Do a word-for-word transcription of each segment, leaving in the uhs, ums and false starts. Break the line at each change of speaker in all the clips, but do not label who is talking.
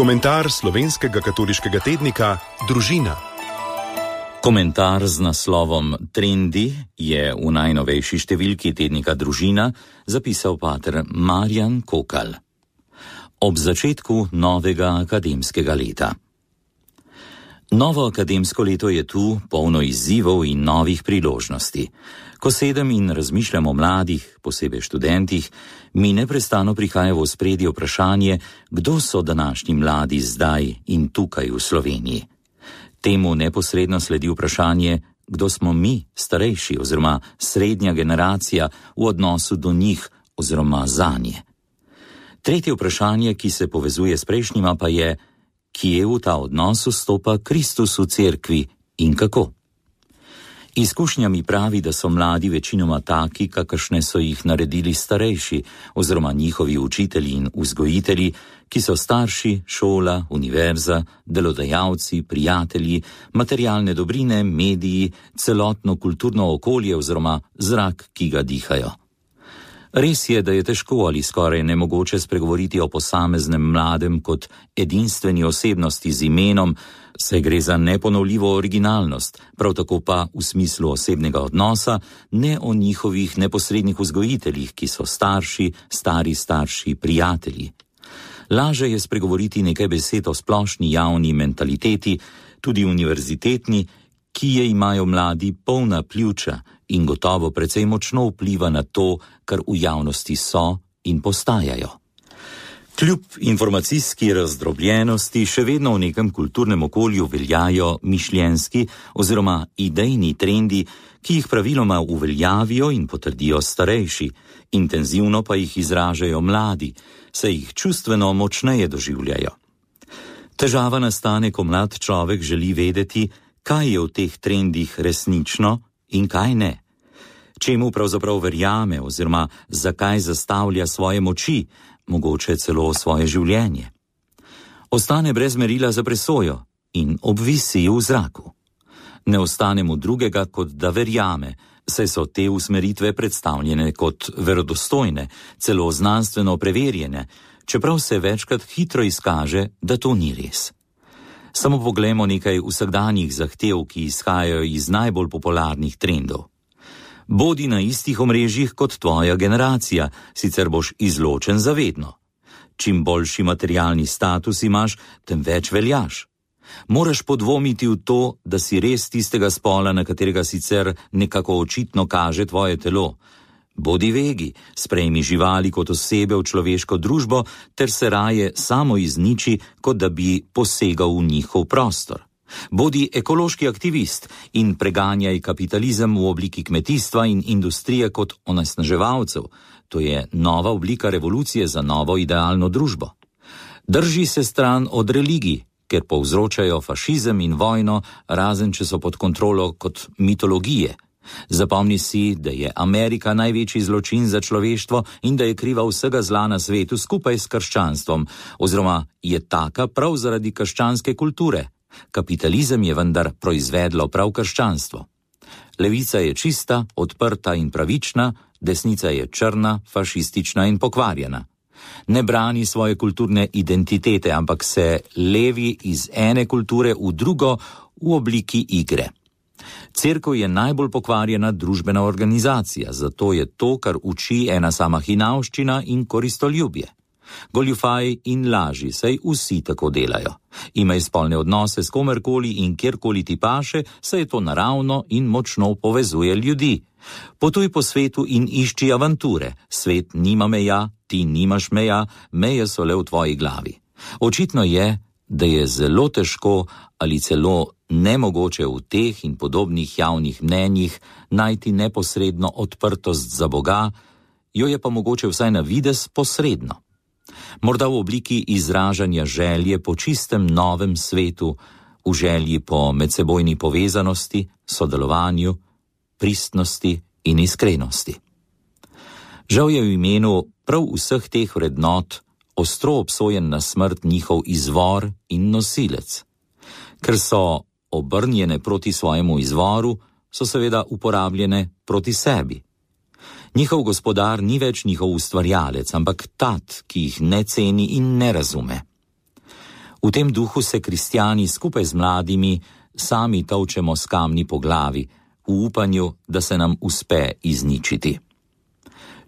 Komentar slovenskega katoliškega tednika Družina.
Komentar z naslovom Trendi je v najnovejši številki tednika Družina zapisal pater Marjan Kokal. Ob začetku novega akademskega leta. Novo akademsko leto je tu, polno izzivov in novih priložnosti. Ko sedem in razmišljam o mladih, posebej študentih, mi neprestano prihaja v ospredje vprašanje, kdo so današnji mladi zdaj in tukaj v Sloveniji. Temu neposredno sledi vprašanje, kdo smo mi, starejši oziroma srednja generacija, v odnosu do njih oziroma zanje. Tretje vprašanje, ki se povezuje s prejšnjima, pa je, kje v ta odnos vstopa Kristus v cerkvi in kako. Izkušnja mi pravi, da so mladi večinoma taki, kakršne so jih naredili starejši oziroma njihovi učitelji in vzgojitelji, ki so starši, šola, univerza, delodajalci, prijatelji, materialne dobrine, mediji, celotno kulturno okolje oziroma zrak, ki ga dihajo. Res je, da je težko ali skoraj nemogoče spregovoriti o posameznem mladem kot edinstveni osebnosti z imenom, saj gre za neponovljivo originalnost, prav tako pa v smislu osebnega odnosa, ne o njihovih neposrednih vzgojiteljih, ki so starši, stari starši, prijatelji. Laže je spregovoriti nekaj besed o splošni javni mentaliteti, tudi univerzitetni, ki je imajo mladi polna pljuča in gotovo precej močno vpliva na to, kar v javnosti so in postajajo. Kljub informacijski razdrobljenosti še vedno v nekem kulturnem okolju veljajo mišljenjski oziroma idejni trendi, ki jih praviloma uveljavijo in potrdijo starejši, intenzivno pa jih izražajo mladi, saj jih čustveno močneje doživljajo. Težava nastane, ko mlad človek želi vedeti, kaj je v teh trendih resnično in kaj ne. Čemu pravzaprav verjame oziroma zakaj zastavlja svoje moči, mogoče celo svoje življenje. Ostane brez merila za presojo in obvisi v zraku. Ne ostane mu drugega, kot da verjame, saj so te usmeritve predstavljene kot verodostojne, celo znanstveno preverjene, čeprav se večkrat hitro izkaže, da to ni res. Samo poglejmo nekaj vsakdanjih zahtev, ki izhajajo iz najbolj popularnih trendov. Bodi na istih omrežjih kot tvoja generacija, sicer boš izločen zavedno. Čim boljši materialni status imaš, tem več veljaš. Moraš podvomiti v to, da si res tistega spola, na katerega sicer nekako očitno kaže tvoje telo. Bodi vegi, sprejmi živali kot osebe v človeško družbo, ter se raje samo izniči, kot da bi posegal v njihov prostor. Bodi ekološki aktivist in preganjaj kapitalizem v obliki kmetijstva in industrije kot onesnaževalcev. To je nova oblika revolucije za novo idealno družbo. Drži se stran od religij, ker povzročajo fašizem in vojno, razen če so pod kontrolo kot mitologije. Zapomni si, da je Amerika največji zločin za človeštvo in da je kriva vsega zla na svetu skupaj s krščanstvom, oziroma je taka prav zaradi krščanske kulture. Kapitalizem je vendar proizvedlo prav krščanstvo. Levica je čista, odprta in pravična, desnica je črna, fašistična in pokvarjena. Ne brani svoje kulturne identitete, ampak se levi iz ene kulture v drugo v obliki igre. Cerkev je najbolj pokvarjena družbena organizacija, zato je to, kar uči, ena sama hinavščina in koristoljubje. Goljufaj in laži, saj vsi tako delajo. Imaj spolne odnose s komerkoli in kjerkoli ti paše, saj je to naravno in močno povezuje ljudi. Potuj po svetu in išči avanture. Svet nima meja, ti nimaš meja, meje so le v tvoji glavi. Očitno je, da je zelo težko ali celo nemogoče v teh in podobnih javnih mnenjih najti neposredno odprtost za Boga, jo je pa mogoče vsaj na videz posredno. Morda v obliki izražanja želje po čistem novem svetu, v želji po medsebojni povezanosti, sodelovanju, pristnosti in iskrenosti. Žal je v imenu prav vseh teh vrednot ostro obsojen na smrt njihov izvor in nosilec. Ker so obrnjene proti svojemu izvoru, so seveda uporabljene proti sebi. Njihov gospodar ni več njihov ustvarjalec, ampak tat, ki jih ne ceni in ne razume. V tem duhu se kristjani skupaj z mladimi sami tolčemo s kamni po glavi, v upanju, da se nam uspe izničiti.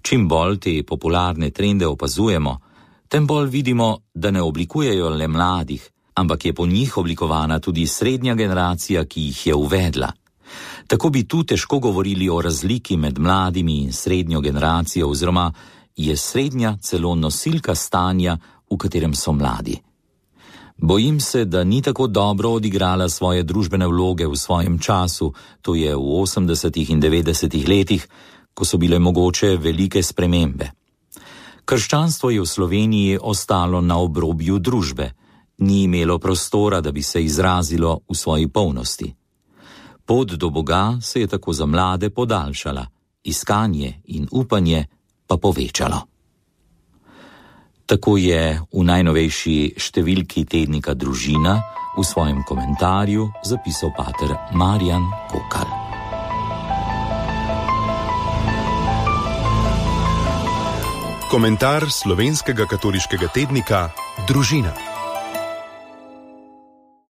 Čim bolj te popularne trende opazujemo, tem bolj vidimo, da ne oblikujejo le mladih, ampak je po njih oblikovana tudi srednja generacija, ki jih je uvedla. Tako bi tu težko govorili o razliki med mladimi in srednjo generacijo, oziroma je srednja celo nosilka stanja, v katerem so mladi. Bojim se, da ni tako dobro odigrala svoje družbene vloge v svojem času, to je v osemdesetih in devetdesetih letih, ko so bile mogoče velike spremembe. Krščanstvo je v Sloveniji ostalo na obrobju družbe, ni imelo prostora, da bi se izrazilo v svoji polnosti. Pot do Boga se je tako za mlade podaljšala, iskanje in upanje pa povečalo. Tako je v najnovejši številki tednika Družina v svojem komentarju zapisal pater Marjan Kokal.
Komentar slovenskega katoliškega tednika Družina.